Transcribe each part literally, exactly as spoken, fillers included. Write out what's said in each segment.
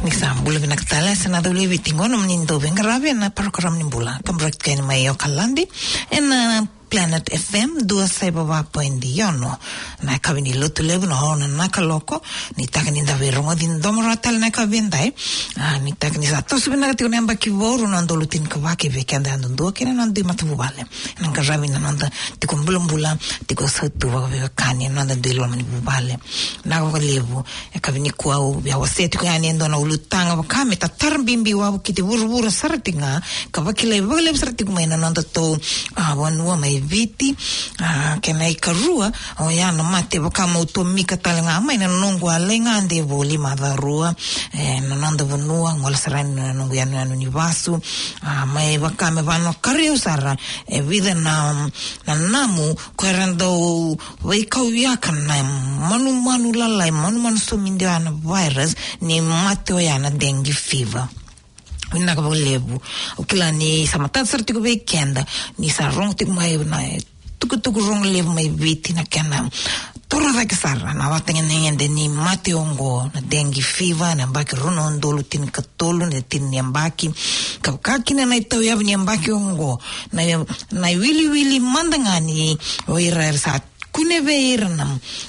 Ni sa bula vinaka tale, se na dau levi tigo nomuni dau veiqaravi ena parokaramu ni bula. Kaburaki keni mai Okaladi, ena Planet F M, dua saiva va point ono. Na yakavi ni Lotulevu na ono na kaloko, ni taka ni da veirogoci domo rawa tale na yakavi edai. A, ni taka ni sa toso vinaka tiko na yabaki vou, rua na udolu tinikava ki vei keda yadudua kei na noda dui matavuvale. Na qaravi na noda tiko bulabula, tiko sautu vakaveiwekani, na noda dui loma ni vuvale. Vinaka vakalevu, yakavi nikua au via wasea tiko yani e dua na ulutaga vaka me tatara bibi wavokiti vuravura sara tiko ga, ka vakilai vakalevu sara tiko mai na nodatou, a, vanua mai Viti, a, kena ikarua, oya na mate vaka meu tomika tale ga mai na noqu a lai gade voli macawa rua, e, na noda vanua, gole sara yani na noqu yanuyanu ni vasu, a, mai vaka me vanokaria au sara, e vica na, na namu, ko era dau veikauyaka na manumanu lalai, manumanu somidi oya na virus, ni mate oya na dengue fever. Vinaka vakalevu. Au kila ni sa matata sara tiko vei keda, ni sa rogo tiko mai na tukutuku rogo levu mai Viti na kena toro cake sara na ivakatagedegede ni mate oqo, na dengue fever, na yabaki rua na udolu tinikatolu, na tini ni yabaki. Ka vaka kina na itauyavu ni yabaki oqo, na, na iwiliwili mada ga ni o ira era sa kune vei ira na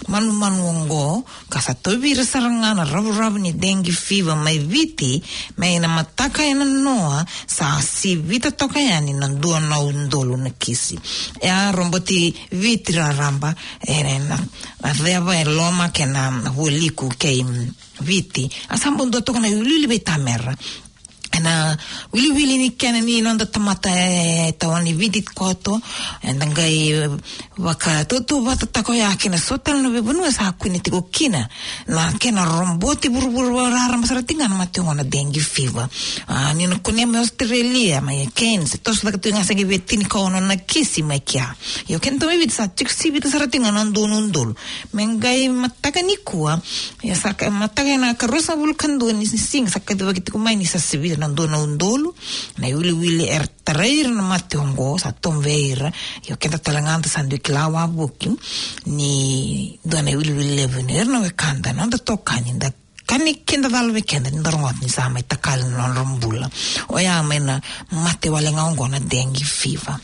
manumanu oqo, ka sa tauvi ira sara ga na ravuravu ni dengue fever mai Viti, mai na mataka ena noa, sa sivita toka yani na dua na udolu na kisi. E a roboti Viti raraba, e na, na ceva e loma kei na vualiku kei Viti. A sa bau dua toka na iwiliwili veitamera. Ena wiliwili ni kena ni noda tamata e tawa ni Viti koto, eda qai vakatautauvatataka oya kina so tale na veivanua sa kune tiko kina na kena roboti vuravura raraba sara tiko ga na mate oqo na dengue fever. A, ni na kunea mai Australia, mai Cairns, e toso cake tiko ga se qai via tinikaono na kisi mai kea. Io, kena tau mai Viti sa tiko sivita sara tiko ga na dua na udolu. Me qai mataka nikua, ia sa ka, mataka ena ikaruasagavulu ka dua ni siga sa kacivaki tiko mai ni sa sivita na dua na udolu na iwiliwili era tarai ira na mate oqo, sa tovo vei ira. Io, keda tale ga da sa dui kila wavoki ni dua na iwiliwili levu ni ira na wekada, na noda itokani, da kani kidacala vei keda ni da rogoca ni sa mai takali na nodra bula. Oya mai na mate wale ga oqo na dengue fever.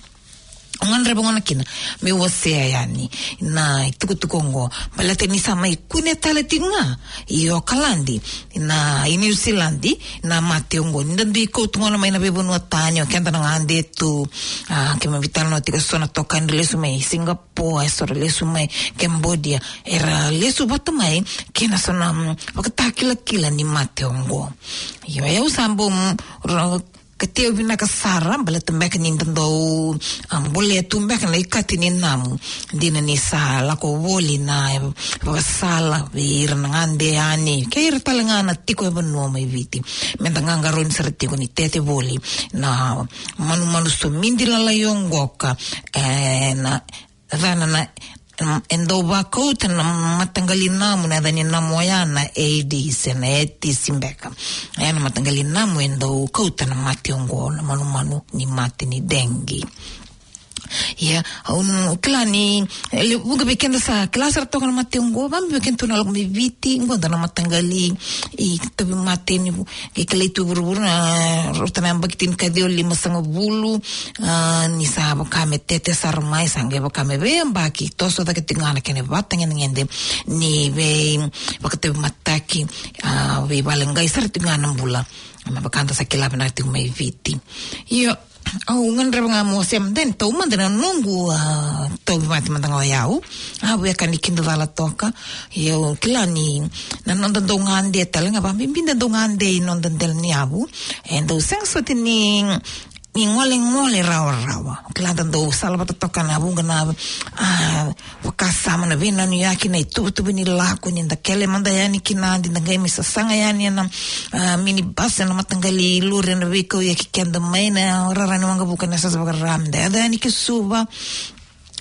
Au gadreva gona kina meu wasea yani na itukutuku oqo, baleta ni sa mai kune tale tiko ga i Okaladi, na, i Niusiladi, na mate oqo. Ni da dui kauta gona mai na veivanua tani, o keda na gade tu, a, keimami veitalanoa tiko, so na itokani ra lesu mai Singapore, e so ra lesu mai Cambodia, era lesu vata mai kei na so na, mm, ivakatakilakila ni mate oqo. Io, au sa bau, mm, ra, katei au vinaka sara, baleta beka ni da dau, a, bolea tu beka na ikati ni namu. Dina ni sa lako voli na, e, ivakasala vei ira na gade yani, kei ira tale ga na tiko e vanua mai Viti, me da qaqarauni sara tiko ni tete voli na manumanu somidi lalai oqo ka, e, na, cava na, na, mm, e dau vakauta na mataqali namu, na yaca ni namu oya na Aedes, e na Aedes beka. Oya na mataqali namu e dau kauta na mate oqo, na manumanu ni mate ni dengue. Ia, au kila ni, e, levu ga vei keda sa kila sara toka na mate oqo, vakabibi vei keda tu na lako mai Viti, oqo dua na mataqali itauvimate ni vu-, qai kilai tu e vuravura, na rauta na yabaki tinikaciwa limasagavulu, a, ni sa vaka me tete sara mai, sa qai vaka me veiyabaki, toso cake tiko ga na kena ivakatagedegede ni veivakatauvimataki, a, veivale qai sara tiko ga na bula. Me vaka da sa kila vinaka tiko mai Viti. Io, au gadreva ga meu wasea mada yani, taumada na noqu, a, tauvimate mada ga o yau. A, via ka ni kidacala toka. Io, kila ni na noda dau gade tale ga, vakabibi da dau gade i noda dela ni yavu, e dau sega soti ni, ni golegole rawarawa. Kila da dau sala vata toka na vuqa na, a, vakasama, na veinanuyaki, na ituvatuva ni lako, ni da kele mada yani ki Nadi, da qai mai sasaga yani ena, a, minibus, ena mataqali lori, ena veikauyaki keda mai na rara ni waqavuka, na yasayasa vakaRa, me da yaco yani ki Suva.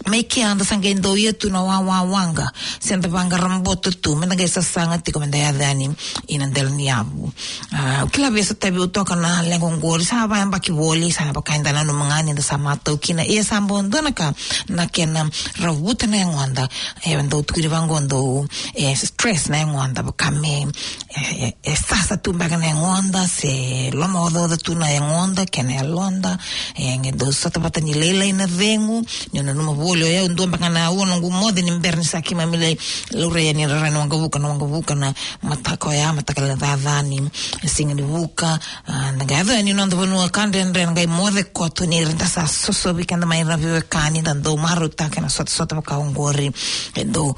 Mai kea da sa qai dau ia tu na wawa waqa, se da vaqara boto tu, me da qai sasaga tiko, me da yaco yani ina dela ni yavu. A, au kila via sotavi au toka na leqa oqori, sa vayabaki voli, sa vaka eda nanuma ga ni da sa matau kina. Ia sa bau dua na ka na kena ravuta na yagoda, e dau tukuni vaqo, dau, e, stress na yagoda, vaka me, e, e sasa tu beka na yagoda, se lomaocaoca tu na yagoda kei na yaloda. E qai dau sota vata ni lailai na cegu. Niu nanuma voli o yau, dua beka na aua noqu moce ni bera ni sa keimami lai laurai yani e rara ni waqavuka, na waqavuka na mataka oya, mataka lailai caca ni siga ni vuka. A, da qai yaco yani noda vanua ka dredre, da qai moce koto ni ra da sa sosovi keda mai na veiwekani, da dau marautaka na sotasota vaka oqori. E dau,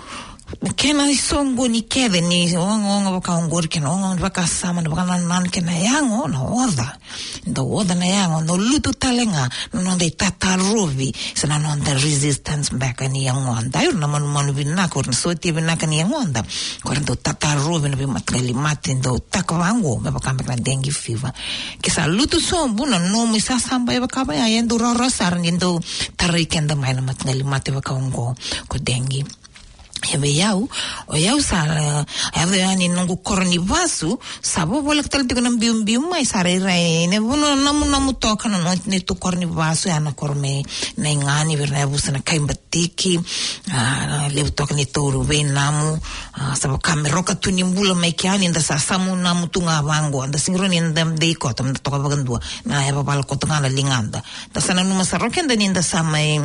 kena isoqoni kece ni ogaoga vaka oqori, kena ogaoga ni vakasama, na vakanananu, kena yago na oca. Dau oca na yago, dau lutu tale ga na noda itatarovi, se na noda resistance beka ni yagoda. Ira na manumanu vinaka, ira na sotia vinaka ni yagoda, ko ira dau tatarovi na veimataqali mate dau taka vaqo, me vaka beka na dengue fever. Ke sa lutu sobu na nomu isasaba e vaka vaya, e dau rawarawa sara ni dau tarai keda mai na mataqali mate vaka oqo, ko dengue. Ia vei au, o yau sa, e, yaco yani noqu koro ni vasu, sa vovoleka tale tiko na biubiu mai, sa rairai na vanua namunamu toka na no-, neitou koro ni vasu, ya na koro mai Naigani, vei ira na yavusa na Kaibatiki. A, levu toka neitou veinamu. A, sa vaka me roka tu ni bula mai kea ni da sa samu namu tu ga vaqo, da sega ni rawa ni da dei koto, da toka vakadua, na yavavala koto ga na ligada. Da sa nanuma sara o keda ni da sa mai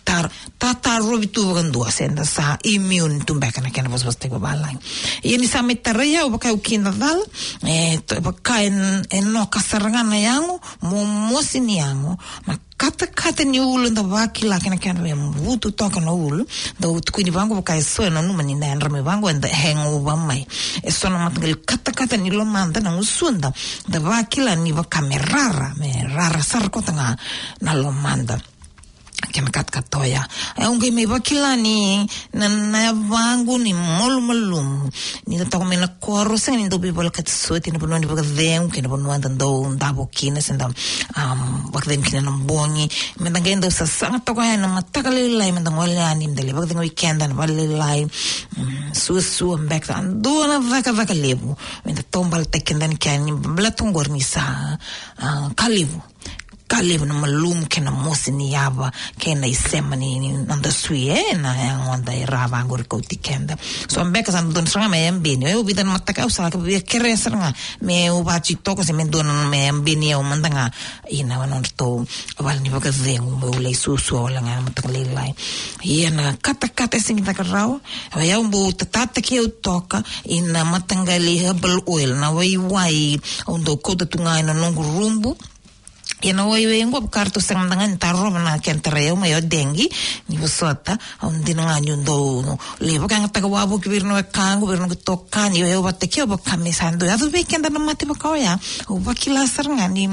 tar-, tatarovi tu vakadua, se da sa immune tu beka, na kena vosavosataki vavalagi. Ia ni sa mai tarai au vaka au kidacala, e, to-, vaka e, e noka sara ga na yago, momosi ni yago, na katakata ni ulu, da vakila kena, kena veivutu toka na ulu. Dau tukuni vaqo vaka e so e nanuma ni da yadra mai vaqo, eda hangover mai. E so na mataqali katakata ni lomada, na gusuda, da vakila ni vaka me rara, me rara sara koto ga na lomada. Kena katakata oya. E, au qai mai vakila ni na, na yavaqu ni malumalumu. Ni da toka mai na koro, sega ni dau veivolekati soti na vanua ni vakacegu, kei na vanua da dau davo kina, se da, um, vakacegu kina na bogi. Me da qai dau sasaga toka yani na mataka lailai, me da gole yani, me da lai vakacegu i keda na vale lailai. Mm, suasua beka, sa dua na cakacaka levu. Me da taubaletaki keda ni kea ni baleta oqori ni sa, ah, ka levu. Ka levu na malumu kei na mosi ni yava, kei na isema ni, ni noda sui, e, na yagoda e ra vaqori kauti keda. So beka sa dodonu sara ga me yabeni. O yau vica na mataka au sa via kerea sara ga meu vati toka se me dua na me yabeni au mada ga ina nodratou vale ni vakacegu meu lai suasua wale ga na mataka lailai. Ia na katakata e sega ni caka rawa. O yau bau tatataki au toka ina mataqali herbal oil, na waiwai au dau kauta tu ga ina noqu rubu. Ia na waiwai oqo vaka ratou sega mada ga ni tarova na kena tarai au mai o dengue, ni vosota, au dina ga niu dau lai vakayagataka wavoki vei ira na wekaqu, vei ira na noqu itokani, o yau vata kei au vaka me sa dau yaco vei keda na mate vaka oya. Au vakila sara ga ni,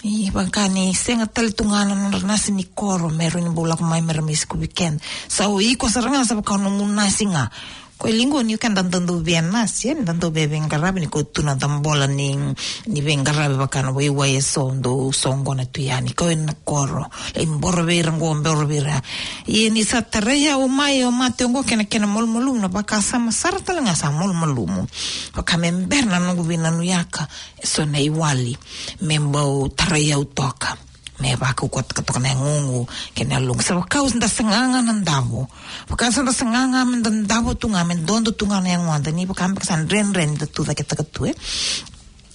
ni vaka ni sega tale tu ga na nodra nasi ni koro me rawa ni bau lako mai me ra mai sikuvi keda. Sa o iko sara ga sa vaka nomu nasi ga. Ko e liqo ni keda da dau via nasi, e, da dau via veiqaravi ni ko tu na dabola ni, ni veiqaravi vaka na waiwai e so dau soqona tu yani, ko e na koro, lai boro vei ira qo, boro vei ira. Ia ni sa tarai au mai o mate oqo kei na kena malumalumu, na vakasama sara tale ga sa malumalumu. Vaka me bera na noqu veinanuyaka e so na iwali me bau tarai au toka. Me vakaukauwataka toka na yagoqu kei na yaloqu. Sa vaka au da saga ga na davo. Vaka sa da saga ga me da davo tu ga, me dodo tu ga na yagoda, ni vaka beka sa dredre ni da tu caketaka tu, e.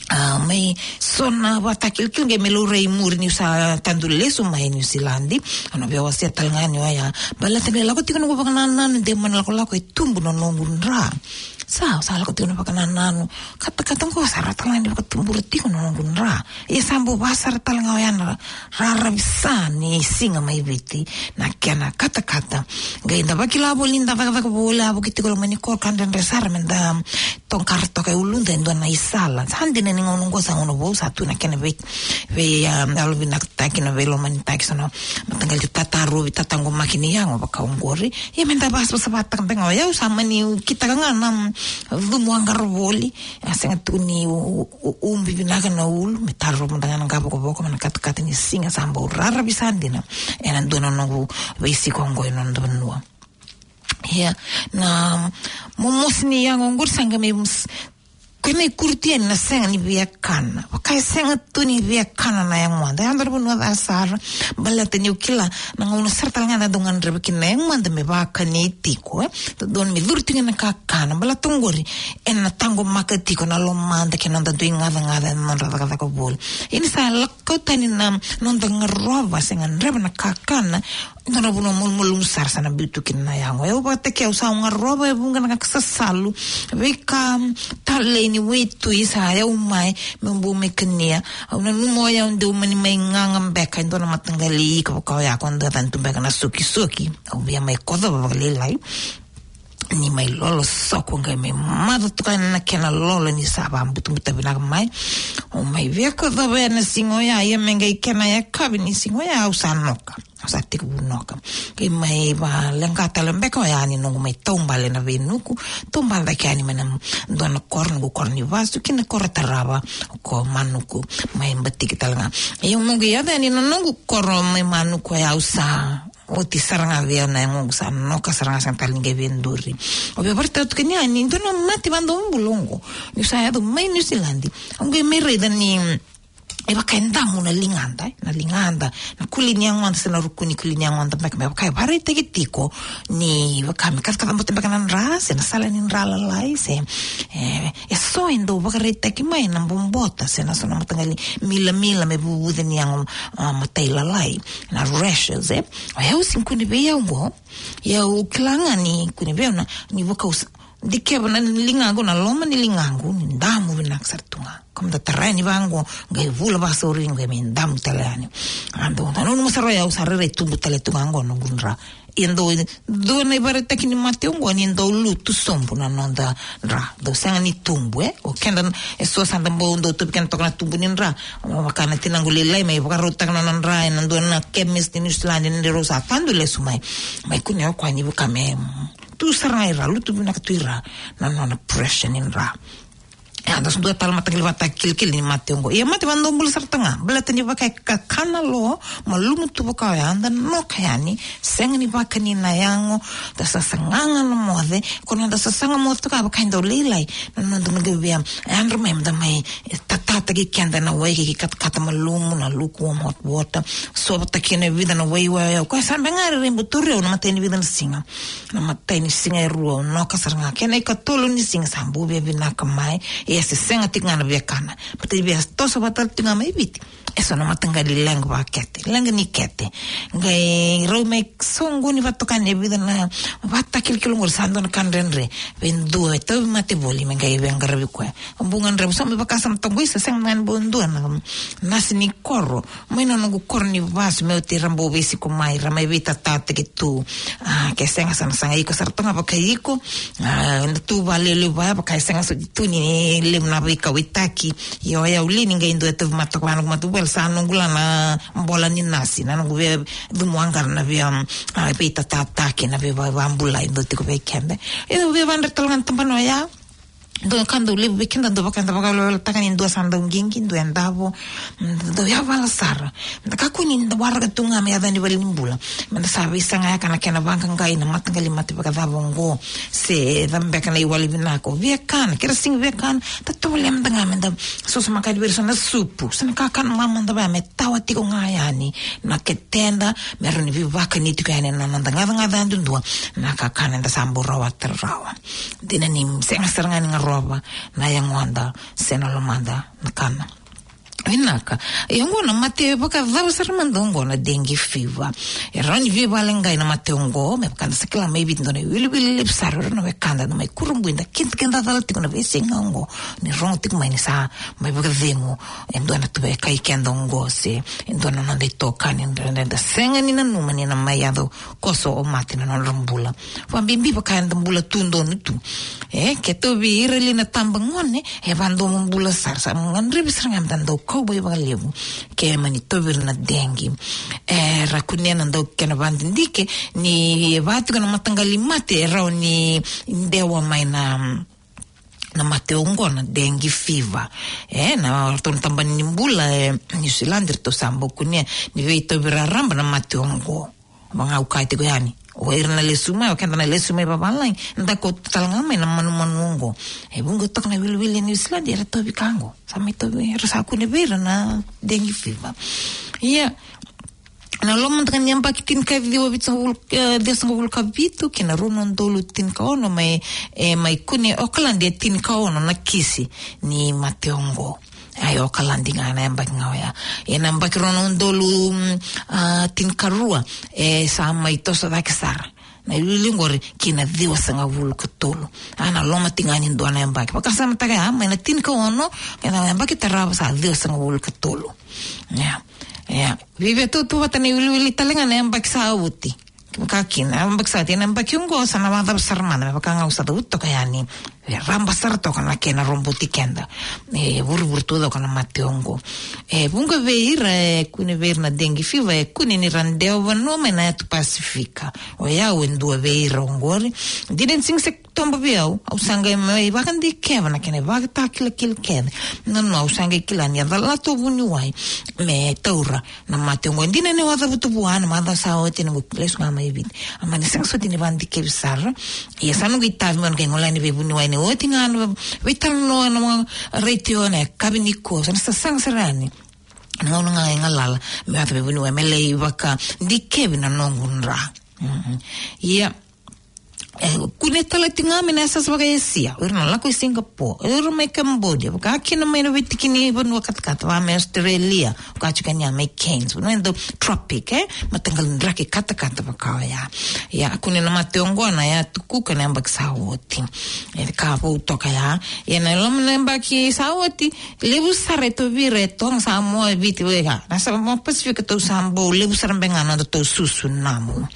A, mai so na vakatakilakila qai me laurai i muri niu sa tadu lesu mai Niusiladi. Au na via wasea tale ga ni oya. Baleta ni lako tiko noqu vakanananu de mai na lakolako e tubu na noqu dra. Sa, sa lako tiko na vakanananu. Katakata qo sa ra tale ga ni vakatubura tiko na noqu dra. Ia sa bau vaka sara tale ga oya na raravi sa ni siga mai Viti, na kena katakata. Qai da vakila voli ni da cakacaka voli, a vuki tiko loma ni koro ka dredre sara me da tokara toka e uluda e dua na isala. Sa dina ni gauna oqo sa gauna vou, sa tu na kena vei, vei, ah, yalovinakataki, na veilomanitaki, so na mataqali tatarovi, tataqomaki ni yago vaka oqori. Ia me da vakasavasavataka beka ga, o yau sa mani kitaka ga na cumu a qara voli. A sega tu ni u-, u-, u-, ubi vinaka na ulu, me tarova mada ga na qavokavoka, me na katakata ni siga sa bau raravi sa dina. Ena dua na noqu veisiko oqo ena noda vanua. Ia, na momosi ni yago oqori sa qai mai mus-, Kena ikuri tu yani na sega ni via kana. Vaka e sega tu ni via kana na yagoda. Yagoda na vanua ca sara. Baleta niu kila na gauna sara tale ga da dau gadreva kina na yagoda me vakani tiko, e. Dodonu me curu tiko na kakana. Baleta oqori ena taqomaka tiko na lomada kei na noda dui gacagaca ena nodra cakacaka voli. Ia ni sa lako tani na noda garova se gadreva na kakana, dua na vanua malumalumu sara sa na biu tu kina na yago. Au vakataki au sa garova e vuqa na ka sasalu, veika talei ni waitui sa yau mai meu bau mai kania. Au nanuma o yau deu mani mai gaga beka e dua na mataqali ika vaka oya ko dua tani tu beka na sokisoki. Au via mai kocova vakalailai. Ni mai lolo soko qai mai maca toka na kena lolo ni sa vabutubuta vinaka mai. Au mai via kocova ena siga oya, ia me qai kena yakavi ni siga oya au sa noka. Au sa tekivu noka. Qai mai valeqa tale beka oya ni noqu mai taubale na veinuku. Taubale cake yani mai na dua na koro, noqu koro ni vasu, ki na koro tarava ko Manuku, mai Batiki tale ga. Ia au noqu yaco yani na noqu koro mai Manuku oya au sa oti sara ga vei au na yagoqu, sa noka sara ga, sega tale ni qai via duri. Au via vakaraitaka tu kina ni dua na mate vakadomobula oqo. Niu sa yaco mai Niusiladi, au qai mai raica ni e vaka e damu na ligada, e, na ligada, na kuli ni yagoda se na ruku ni kuli ni yagoda beka, me vaka e vakaraitaki tiko ni vaka me kacakaca bota beka na dra se na sala ni dra lalai se, e, e so e dau vakaraitaki mai na bobota se na so na mataqali milamila me vuvuce ni yago, a, matailalai, na rashes, e. O yau sega ni kune vei au oqo. Ia au kila ga ni kune vei au na, ni vakausa. Dikeva na ligaqu, na loma ni ligaqu ni damu vinaka sara tu ga. Ka meda tarai ni vaqo, qai vula vasauri qai me damu tale yani. A dau, na nunu masaro yau sa rairai tubu tale tu ga qo noqu dra. Ia dau, dua na ivakaraitaki ni mate oqo ni dau lutu sobu na noda dra. Dau sega ni tubu, e. O keda e so sa da bau dau tubu keda toka na tubu ni dra. Vaka na tinaqu lailai mai vakarautaka na nona dra ena dua na chemist ni Niusiladi ni rau sa tadu lesu mai. Mai kunea o koya ni vaka me tu sara ga i ra, lutu vinaka tu i ra na nona pressure ni dra. E, a dau sa dua tale mataqali vata kilikili ni mate oqo. Ia mate vakadomobula sara tu ga. Baleta ni vaka e kakana lo, malumu tu vaka oya, da noka yani, sega ni vakani na yago, da sasaga ga na moce, ko na da sasaga moce toka vaka e dau lailai. Na noda na qai via yadra mai, meda mai, e, tatataki keda na wai kei katakata malumu, na lukewarm hot water. Sovata kina e vica na waiwai, o koya sa beka ga e rairai bau tauri au na matai ni vica na siga. Na matai ni siga e rua au noka sara ga. Kena ikatolu ni siga sa bau via vinaka mai. Ia se sega tiko ga na via kana. Baleta ni via toso vata tiko ga mai Viti. E so na mataqali leqa vakete, leqa ni kete. Qai rau mai soqoni vakatoka ni e vica na vata kilikili oqori sa dua na ka dredre. Vei dua e tauvimate voli me qai veiqaravi koya. Au bau gadreva, sa mai vakasama toqo, isa sega ga ni bau dua na nasi ni koro. Mai na noqu koro ni vasu me oti ra bau veisiko mai, ra mai veitatataki tu. A, ke sega sa na saga iko sara toka vaka iko. A, na tu valialiu vaya vaka e sega soti tu ni levu na veikauwaitaki. Io, o yau li ni qai dua e tauvimate toka vaya noqu matavuvale sa noqu la na bola ni nasi, na noqu via cumu aqara na via, a, veitatataki, na via va-, vabulai dau tiko vei keda. E dau via vadre tale ga na tabana oya. Dua ka dau levu vei keda dau vaka, da vakaweleweletaka ni dua sa dau qiqi, dua e davo, dau yavala sara. Da kakua ni da waraka tu ga me yaco ni valenibula. Meda sa veisagayaka na kena vaqaqai na mataqali mate vakacava oqo. Se cava beka na iwali vinaka o via kana, ke ra sega ni via kana, da tovolea mada ga meda sosomakani vei ira so na supu, so na kakana mamada vaya me tawa tiko ga yani na keteda, me rawa ni veivakani tiko yani na noda gacagaca yadudua, na kakana eda sa bau rawata rawa. Dina ni sega sara ga ni garova na yagoda se na lomada na kana. Vinaka. Ia oqo na mate vakacava sara mada oqo na dengue fever. E rawa ni veivakaleqai na mate oqo, me vaka da sa kila mai Viti dua na iwiliwili levu sara, o ira na wekada na mai kurabui da kidakida cala tiko na veisiga oqo. Ni rogo tiko mai ni sa mai vakacegu e dua na tuva e kai keda oqo se e dua na noda itokani, da, da, da sega ni nanuma ni na mai yaco koso o mate na nodra bula. Vakabibi vaka eda bula tu donu tu. E, ke tauvi ira li na tabagone, e vadomobula sara, sa gadrevi sara ga meda dau kauwai vakalevu. Ke mani tauvi ira na dengue. E, ra kunea na dau kena vadidike, ni e va tiko na mataqali mate, e rawa ni dewa mai na na mate oqo na dengue fever. E, na ratou na tabana ni bula e New Zealand, ratou sa bau kunea ni veitauvi raraba na mate oqo. Vagau kaya tiko yani, O ira na lesu mai, o keda na lesu mai vavalagi, da kauta tale ga mai na manumanu oqo. E vuqa toka na wiliwili e New Zealand era tauvi ka oqo. Sa mai tauvi, era sa kune vei ira na dengue fever. Ia, na loma toka ni yabaki tinikaciwa vitusagavulu, e, ciwasagavulu ka vitu kei na rua na udolu tinikaono mai, e, mai kune Okaladi e tinikaono na kisi ni mate oqo. Ai, Okaladi ga na yabaki ga oya. E na yabaki rua na udolu, mm, a, tinikarua, e sa mai toso cake sara na iwiliwili oqori ki na ciwasagavulu ka tolu. A, na loma tiko ga ni dua na yabaki. Vakasamataka ya, mai na tinikaono kei na yabaki tarava sa ciwasagavulu ka tolu. Ia. Ia. Viavia tautauvata na iwiliwili tale ga na yabaki sa oti. Ka kina, na yabaki sa oti, na yabaki oqo sa na vakacava sara mada, me vaka ga au sa cavuta toka yani. E raba sara toka na kena roboti keda. E vurevure tu toka na mate oqo. E vuqa vei ira e kune vei ira na dengue fever, e kune ni ra dewa vanua mai na yatu Pasifika. O yau e dua vei ira oqori. Dina ni sega ni se tobo vei au, au sa qai mai vakadikeva na kena ivakatakilakila kece. Nanoa, au sa qai kila ni a calata o vuniwai me taura na mate oqo. Dina ni au a cavuta vua na macawa sa oti, na noqu lesu ga mai Viti. A mani sega soti ni vakadikevi sara. Ia sa noqu itavi meu na qai gole yani vei vuniwai ni oti ga na veitalanoa ena retio ena yakavi nikua. Sa na sasaga sara yani na gauna ga e galala meu yaco vei vuniwai me lai vakadikevi na noqu dra. Mm. Ia, e kune tale tiko ga mai na yasayasa vaka-Esia, o ira na lako i Singapore, o ira mai Cambodia, vaka kina mai na veitiki ni vanua katakata, vaka mai Australia, vaka tiko yani mai Cairns, vanua e dau tropic, e mataqali draki katakata vaka oya. Ia, kune na mate oqo na Yatu Kuka na yabaki sa oti. E ka vou toka ya. Ia, na loma na yabaki sa oti, levu sara e tauvi ira e Toga, Samoa, Viti, vei ga na Samoa Pasifika, tou sa bau levu sara beka ga na nodatou susu namu.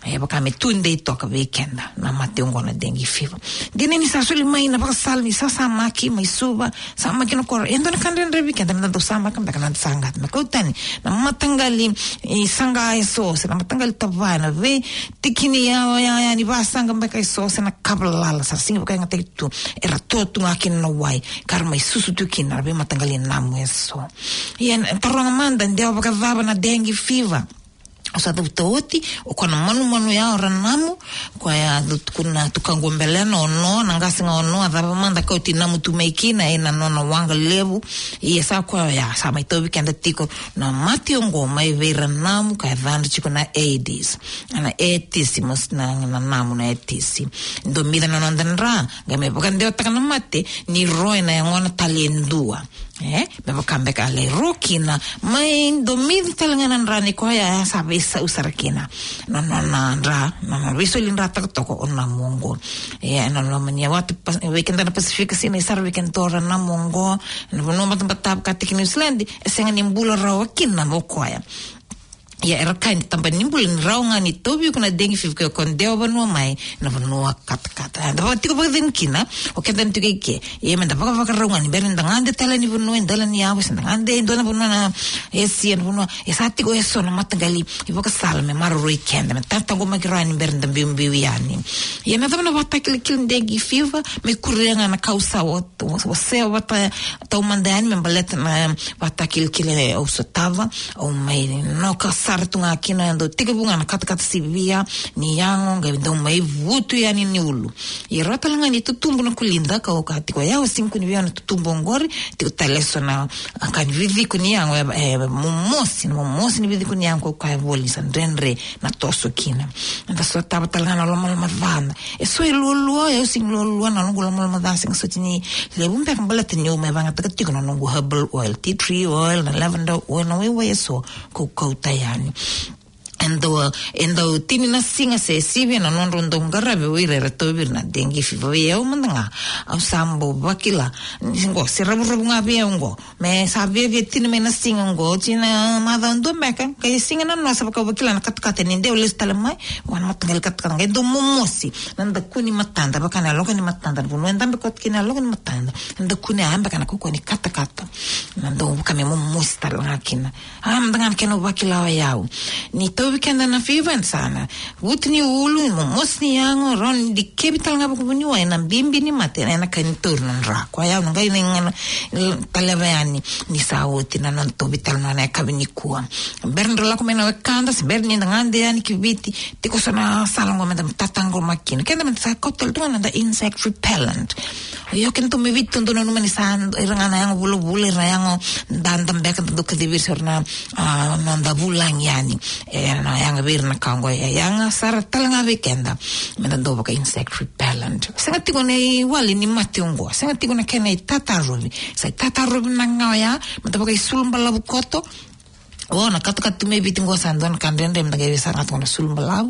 E vaka me tudei toka vei keda na mate oqo na dengue fever. Dina ni sa soli mai na vakasala ni sasamaki mai Suva, samaki na koro. E dua na ka dredre vei keda me da dau samaka beka na noda saqa. Me kau tani na mataqali saqa eso, se na mataqali tavaya, na veitiki ni ya, ya, ya ni vasaqa beka eso, se na kavalala, sa sega ni vakayagataki tu. Era to tu ga kina na wai ka ra mai susu tu kina na veimataqali namu eso. Ia, taroga mada, dewa vakacava na dengue fever? Au sa cavuta oti, o koya na manumanu ya o ra namu, koya a tukuna tukaqu o Belena, o Noa, na qase ga o Noa, a cava mada kauti namu tu mai kina ena nona waqa levu. Ia sa koya ya sa mai tauvi keda tiko na mate oqo mai vei ira namu ka yacadra tiko na Aedes. Na Aedes mos na, na namu na Aedes. Domica na noda dra, qai me vakadewataka na mate ni ro ena yagona tale e dua. E, me vaka beka a lai ro kina, mai domica tale ga na dra ni koya, e sa veisau sara kina na nona dra, na nona veisoli dra tokatoka o namu oqo. E, na loma ni watu Pas-, vei keda na Pasifika, sinai sara vei keda o ra namu oqo. Na vanua batabata vaka tiko New Zealand, e sega ni bula rawa kina o koya. Ia, era kaya ni tabana ni bula ni rawa ga ni tauvi iko na dengue fever ke o dewa vanua mai na vanua katakata. Eda vakatiko vakacegu kina, o keda na tiko i ke. Ia, me da vakavakarau ga ni bera ni da gade tale ni vanua e dela ni yavu, se da gade e dua na vanua na Esia, na vanua e sa tiko eso na mataqali ivakasala me maroroi keda, me tataqomaki rawa ni bera ni da biubiu yani. Ia, na cava na vakatakilakila dengue fever? Me kuria ga na ka au sa wa-, wa-, wasea vata taumada yani me baleta na vakatakilakila au sotava. Au mai noka sara tu ga kina, e dau tekivu ga na katakata sivia ni yago, qai dau mai vutu yani ni ulu. Ia, rawa tale ga ni tutubu na kulida, ka au kaya tiko, e, au sega ni kune vei au na tutubu oqori. Tiko tale eso na, a, ka ni viviko ni yago, e, e, momosi, na momosi ni viviko ni yago, ka au kaya voli sa dredre na toso kina. Eda sotava tale ga na lomaloma ca. E so e lualua, e, au sega ni lualua, na noqu lomaloma ca sega soti ni levu beka baleta niu mai vakayagataka tiko na noqu herbal oil, tea tree oil, na lavender oil, na waiwai eso ka au kauta yani. E dau, e dau tini na siga se sivi na nodrau dau qaravi o ira era tauvi ira na dengue fever. Ia, au mada ga, au sa bau vakila ni qo se ravuravu ga vei au qo. Me sa viavia tini mai na siga oqo, oti na macawa dua beka, qai siga na noa sa vaka au vakila na katakata ni dau lesu tale mai. Vua na mataqali katakata qai dau momosi na daku ni matada, vaka na yaloka ni matada, na vanua e dabe koto kina na yaloka ni matada. Na daku ni, a, beka na kaukauwa ni katakata. Na dau vaka me momosi tale ga kina. A, mada ga na kena vakila o yau. Ni tauvi keda na fever, sa na vutu ni ulu, momosi ni yago, rawa ni dikevi tale ga vakavuniwai na bibi ni mate, ena ka ni tauri na dra. Koya au na qai na, na, na taleva yani ni sa oti na noda tauvi tale na yakavi nikua. Bera ni da lako mai na wekada, se bera ni da gade yani ki Viti, tiko so na sala qo meda tataqomaki kina. Keda meda sa kauta tale tu ga na noda insect repellent. Io, keda tu mai Viti, dou nanuma ni sa ira ga na yago vulavula, ira na yago dada beka da dau kacivi ira se ira na, a, noda vulagi yani. E, na yaga vei ira na ka oqo, e yaga sara tale ga vei keda. Meda dau vaka insect repellent. Sega tiko na iwali ni mate oqo, sega tiko na kena itatarovi. Sa itatarovi na ga oya, meda vakaisulu balavu koto. O, na katakata tu mai Viti qo sa dua na ka dredre, meda qai veisara ga tu na sulu balavu.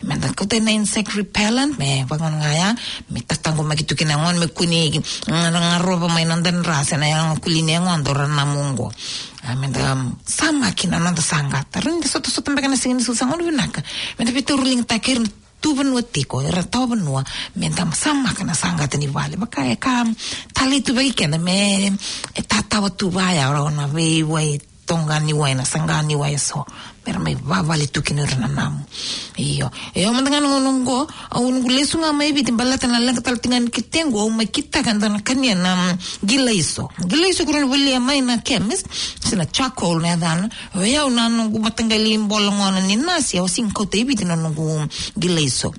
Meda kauta na insect repellent, me vaka ga ya, me tataqomaki tu kina gona, me kua ni, mm, garova mai na noda dra se na yago kuli ni yagoda o ira na namu oqo. A, meda, mm, samaki na noda saqata. Rawa ni da sotasota beka na siga ni sucu, sa gauna vinaka meda veitauriligataki ira na tu vanua tiko, ira tawa vanua, meda samaka na saqata ni vale. Vaka e ka talei tu vei keda me, e tatawa tu vaya, ora na veiwai toqa ni wai, na saqa ni wai eso. Mera mai vavale tu kina ira na namu. Io. E, au mada ga na gauna oqo, au noqu lesu ga mai Viti baleta na leqa tale tiko ga ni ketequ, au mai kitaka e dua na kania na, mm, qilaiso. Qilaiso keirau na volia mai na chemist, se na charcoal na yacana. O yau na noqu mataqali bola gona ni nasi, au sega ni kauta i Viti na noqu qilaiso.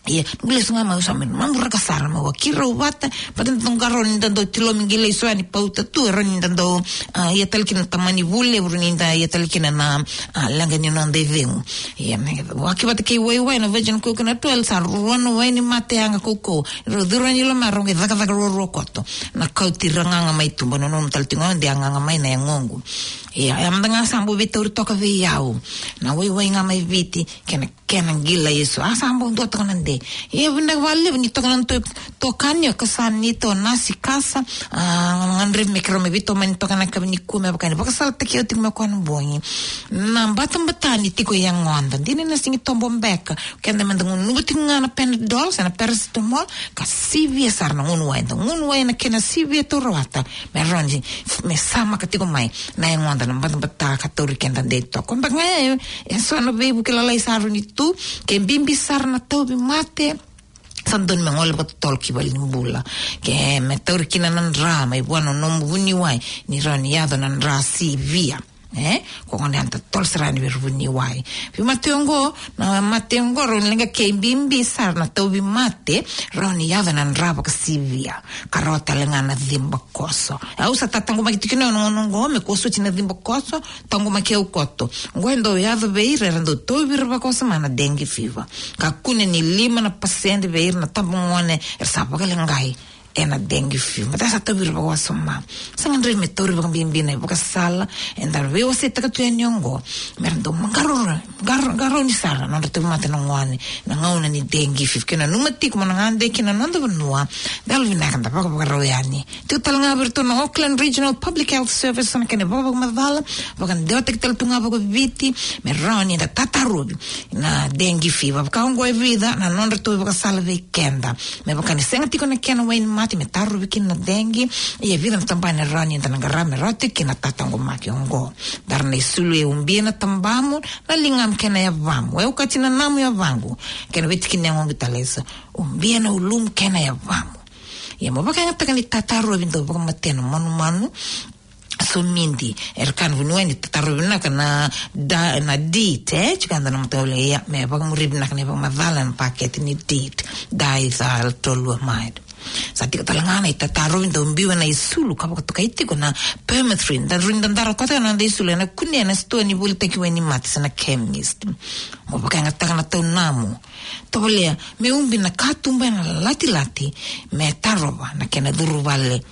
Ia, noqu lesu ga mai, au sa mai mamuraka sara, mai vakirau vata, vata na noqu qarauni da dau tilomi qilaiso yani, pauta tu, e rawa ni da dau, a, ia tale kina na tamani vule, e rawa ni da ia tale kina na, a, leqa ni noda icegu. Ia, me vaka vata kei waiwai na virgin coconut oil, sa rua na wai ni mate yaga kaukauwa. Rau curu yani loma, rau qai cakacaka ruarua koto. Na kauti ira gaga mai tuba, nanuma tale tiko ga de a gaga mai na yagoqu. Ia, e mada ga sa bau veitauri toka vei au na waiwai ga mai Viti, kei na, kei na qilaiso. A sa bau dua toka na dei. Ia, vinaka vakalevu ni toka na to-, tokani, o ka sa ni to nasi kasa, a, gadrevi me keirau mai veitomani toka na yakavi nikua me vaka ni vakasalataki au tiko mai koya na bogi. Na batabata ni tiko i yagoda. Dina na sega ni tobo beka. Keda meda gunuva tiko ga na Panadol, se na paracetamol, ka sivia sara na gunu wai, da gunu wai na kena sivia, taura vata, me rawa ni, me samaka tiko mai na yagoda na batabata ka tauri keda dei toka. Beka ga e, e so na veivuke lalai sa rawa ni tu, ke bibi sara na tauvimate, sa dodonu me gole vakatotolo ki valenibula. Ke me tauri kina na dra mai vua na nomu vuniwai, ni rawa ni yaco na dra sivia. E, ko gona eda totolo sara yani vei ira vuniwai. Vei mate oqo, na mate oqo, rawa ni leqa ke bibi sara na tauvimate, rawa ni yaco na dra vakasivia. Ka rawa tale ga na cibakoso. Au sa tataqomaki tiko na gauna oqo, me kua soti na cibakoso, taqomaki au koto. Oqo e dau yaco vei ira era dau tauvi ira vakawasoma na dengue fever. Ka kune ni lima na pasede vei ira na tabagone era sa vakaleqai ena dengue fever. Meda sa tauvi ira vakawasoma. Sa gadrevi me tauri vakabibi na ivakasala eda veiwaseitaka tu yani oqo, mera dau maqarau, qar-, qarauni sara na nodra tauvimate na gone na gauna ni dengue fever. Ke nanuma tiko mo na gade ki na noda vanua, da yalovinaka da vakavakarau yani. Tiko tale ga vei iratou na Auckland Regional Public Health Service na kena vakavakamacala, vakadewataki tale tu ga vakaviti, me rawa ni da tatarovi na dengue fever. Vaka oqo e vica na nodratou ivakasala vei keda. Me vaka ni sega tiko na kena wainimate me tarovi kina na dengue, ia e vica na tabana e rawa ni da na qarava me rawa tiko kina na tataqomaki oqo. Dara na isulu e ubia na tabamu, na ligamu kei na yavamu. E okati na namu yavaqu kei na veitiki ni yagoqu tale eso. Ubia na ulumu kei na yavamu. Ia mo vakayagataka ni tatarovi dau vakamatea na manumanu. Somidi, era kaya na vuniwai ni tatarovi vinaka na da-, na DEET, e, tiko eda na mataqali, ia, me vakamuri vinaka na ivakamacala na pakete ni DEET, diethyl toluamide. Sa tiko tale ga na itatarovi dau biu ena isulu ka vakatokai tiko na permethrin, da rui dadara koto ena noda isulu, ena kunea ena sitoa ni volitaki wainimate se na chemist. Mo vakayagataka na taunamu. Tovolea me ubi na katuba ena latilati, me tarova na kena curu vale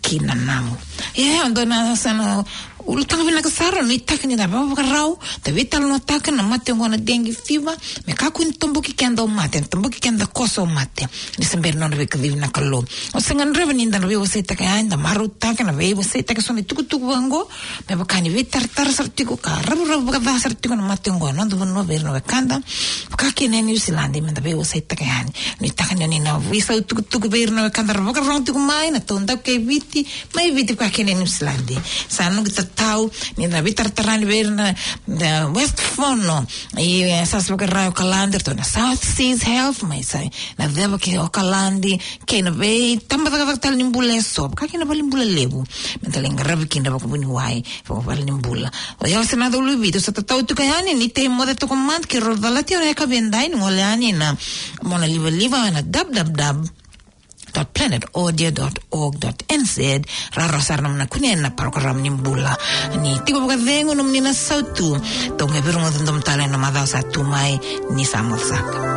ki na namu. E, oqo na sa na ulutaga vinaka sara, nuitaka ni da vakavakarau, da veitalanoataka na mate oqo na dengue fever, me kakua ni toboki keda o mate, toboki keda koso o mate. Ni se bera nona veikacivi na Kalou. O se gadreva ni da na veiwaseitaka yani, da marautaka na veiwaseitaka eso na itukutuku vaqo, me vaka ni veitaratara sara tiko ka ravuravu vakaca sara tiko na mate oqo ena noda vanua vei ira na wekada. Vaka kina e Niusiladi, meda veiwaseitaka yani. Nuitaka ni o ni na veisau tukutuku vei ira na wekada ra vakarorogo tiko mai na taudaku kei Viti, mai Viti vaka kina e Niusiladi. Sa noqu ta-, tau, ni na veitaratara ni vei ira na, na West Fono, i, e, sa sa vakarau Okaladi, ratou na South Seas Health, mai sa, na ceva ki Okaladi, kei na vei, tabacakacaka tale ni bula e so, ka kei na vale ni bula levu, me tale qaravi kina vakavuniwai, vakavale ni bula. O yau se na dau luvi, tu sa tatau tu ka yani, ni te moce toka mad, ki ro dala tio na e ka vedai, ni gole yani na, mona livaliva, na dab dab dab. Dot planet audio dot org dot N Z, raro sara na mona kune na program ni bula. Ni tiko vakacegu na moni na sautu. Toga e virongo dodom tale na macawa sa tu mai ni sa moca saka.